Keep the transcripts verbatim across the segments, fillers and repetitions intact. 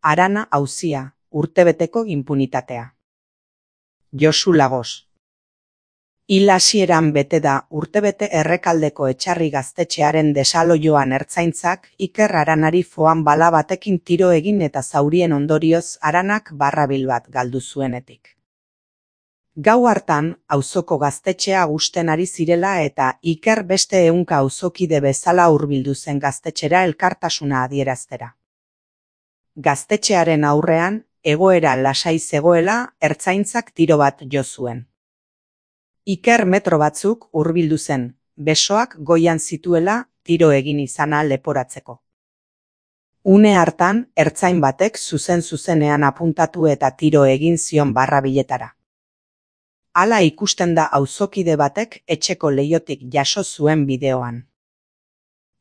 Arana auzia, urtebeteko inpunitatea. Josu Lagos. Hil hasieran bete da urtebete Errekaldeko Etxarri gaztetxearen desaloioan ertzaintzak Iker Aranari foan bala batekin tiro egin eta zaurien ondorioz Aranak barrabil bat galdu zuenetik. Gau hartan, auzoko gaztetxea gusten ari zirela eta Iker beste ehunka auzokide bezala hurbildu zen gaztetxera elkartasuna adieraztera. Gaztetxearen aurrean, egoera lasai zegoela, ertzaintzak tiro bat jo zuen. Iker metro batzuk hurbildu zen, besoak goian zituela tiro egin izana leporatzeko. Une hartan, ertzain batek zuzen-zuzenean apuntatu eta tiro egin zion barrabiletara. Hala ikusten da auzokide batek etxeko leihotik jaso zuen bideoan.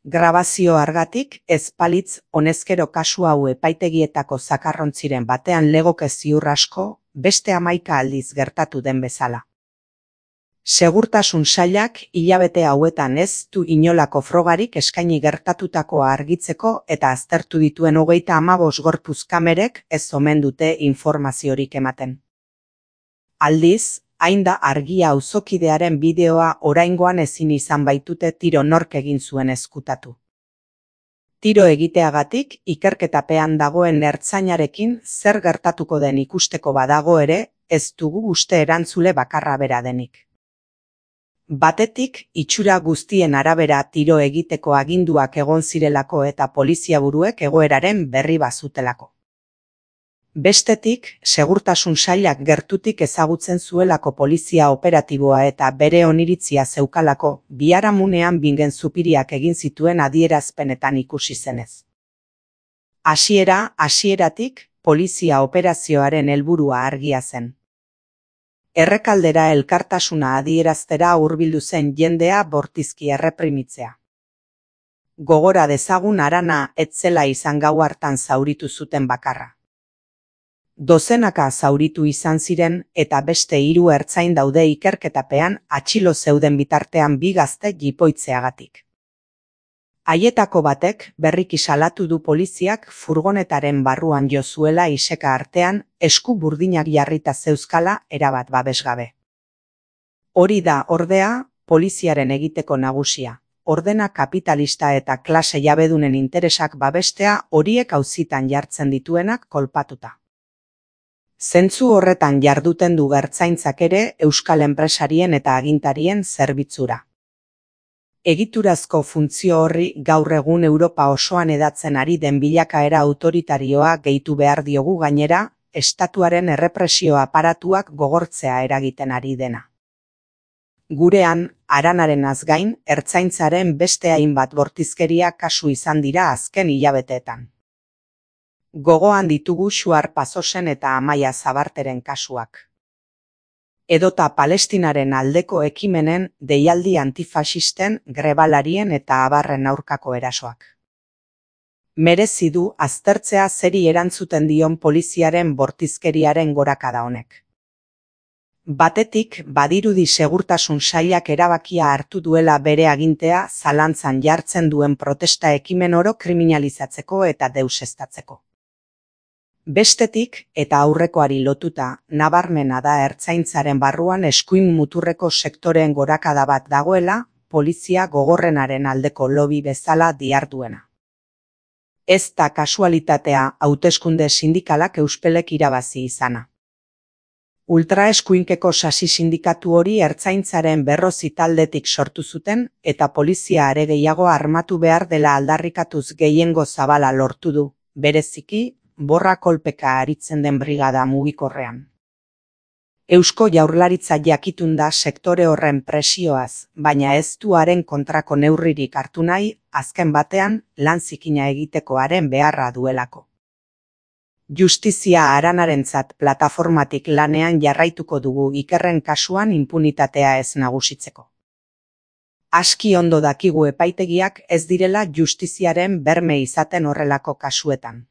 Grabazio argatik ez palitz honezkero kasu hau epaitegietako zakarrontziren batean legoke ziur asko, beste hamaika aldiz gertatu den bezala. Segurtasun sailak hilabete hauetan ez du inolako frogarik eskaini gertatutakoa argitzeko eta aztertu dituen hogeita hamabost gorputz kamerek ez omen dute informaziorik ematen. Aldiz, hain da argia auzokidearen bideoa oraingoan ezin izan baitute tiro nork egin zuen ezkutatu. Tiro egiteagatik ikerketapean dagoen ertzainarekin zer gertatuko den ikusteko badago ere, ez dugu uste erantzule bakarra bera denik. Batetik, itxura guztien arabera tiro egiteko aginduak egon zirelako eta poliziaburuek egoeraren berri bazutelako. Bestetik, segurtasun sailak gertutik ezagutzen zuelako polizia operatiboa eta bere oniritzia zeukalako biharamunean bingen zupiriak egin zituen adierazpenetan ikusi zenez. Hasiera, hasieratik, polizia operazioaren helburua argia zen. Errekaldera elkartasuna adieraztera hurbildu zen jendea bortizki erreprimitzea. Gogora dezagun Arana ez zela izan gau hartan zauritu zuten bakarra. Dozenaka zauritu izan ziren eta beste hiru ertzain daude ikerketapean atxilo zeuden bitartean bi gazte jipoitzeagatik. Haietako batek berriki salatu du poliziak furgonetaren barruan jo zuela iseka artean esku burdinak jarrita zeuzkala erabat babesgabe. Hori da, ordea, poliziaren egiteko nagusia, ordena kapitalista eta klase jabedunen interesak babestea horiek auzitan jartzen dituenak kolpatuta. Zentzu horretan jarduten du ertzaintzak ere euskal enpresarien eta agintarien zerbitzura. Egiturazko funtzio horri gaur egun Europa osoan hedatzen ari den bilakaera autoritarioa gehitu behar diogu gainera, estatuaren errepresio aparatuak gogortzea eragiten ari dena. Gurean, Aranaren azgain, ertzaintzaren beste hainbat bortizkeria kasu izan dira azken hilabeteetan. Gogoan ditugu Xuar Pasosen eta Amaia Zabarteren kasuak. Edota Palestinaren aldeko ekimenen, deialdi antifasisten, grebalarien eta abarren aurkako erasoak. Merezi du aztertzea zeri erantzuten dion poliziaren bortizkeriaren gorakada honek. Batetik, badirudi segurtasun sailak erabakia hartu duela bere agintea zalantzan jartzen duen protesta ekimen oro kriminalizatzeko eta deuseztatzeko. Bestetik, eta aurrekoari lotuta, nabarmena da ertzaintzaren barruan eskuin muturreko sektoreen gorakada bat dagoela, polizia gogorrenaren aldeko lobby bezala diharduena. Ez da kasualitatea hauteskunde sindikalak euspelek irabazi izana. Ultraeskuinkeko sasi sindikatu hori ertzaintzaren berrozi taldetik sortu zuten eta polizia are gehiago armatu behar dela aldarrikatuz gehiengo zabala lortu du, bereziki, borra kolpeka aritzen den brigada mugikorrean. Eusko Jaurlaritza jakitun da sektore horren presioaz, baina ez du haren kontrako neurririk hartu nahi, azken batean lan zikina egiteko haren beharra duelako. Justizia Aranarentzat plataformatik lanean jarraituko dugu Ikerren kasuan inpunitatea ez nagusitzeko. Aski ondo dakigu epaitegiak ez direla justiziaren berme izaten horrelako kasuetan.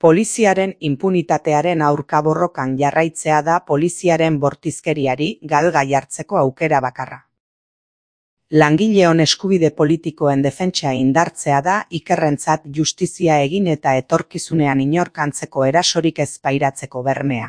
Poliziaren inpunitatearen aurka borrokan jarraitzea da poliziaren bortizkeriari galga jartzeko aukera bakarra. Langileon eskubide politikoen defentsa indartzea da Ikerrentzat justizia egin eta etorkizunean inork antzeko erasorik ez pairatzeko bermea.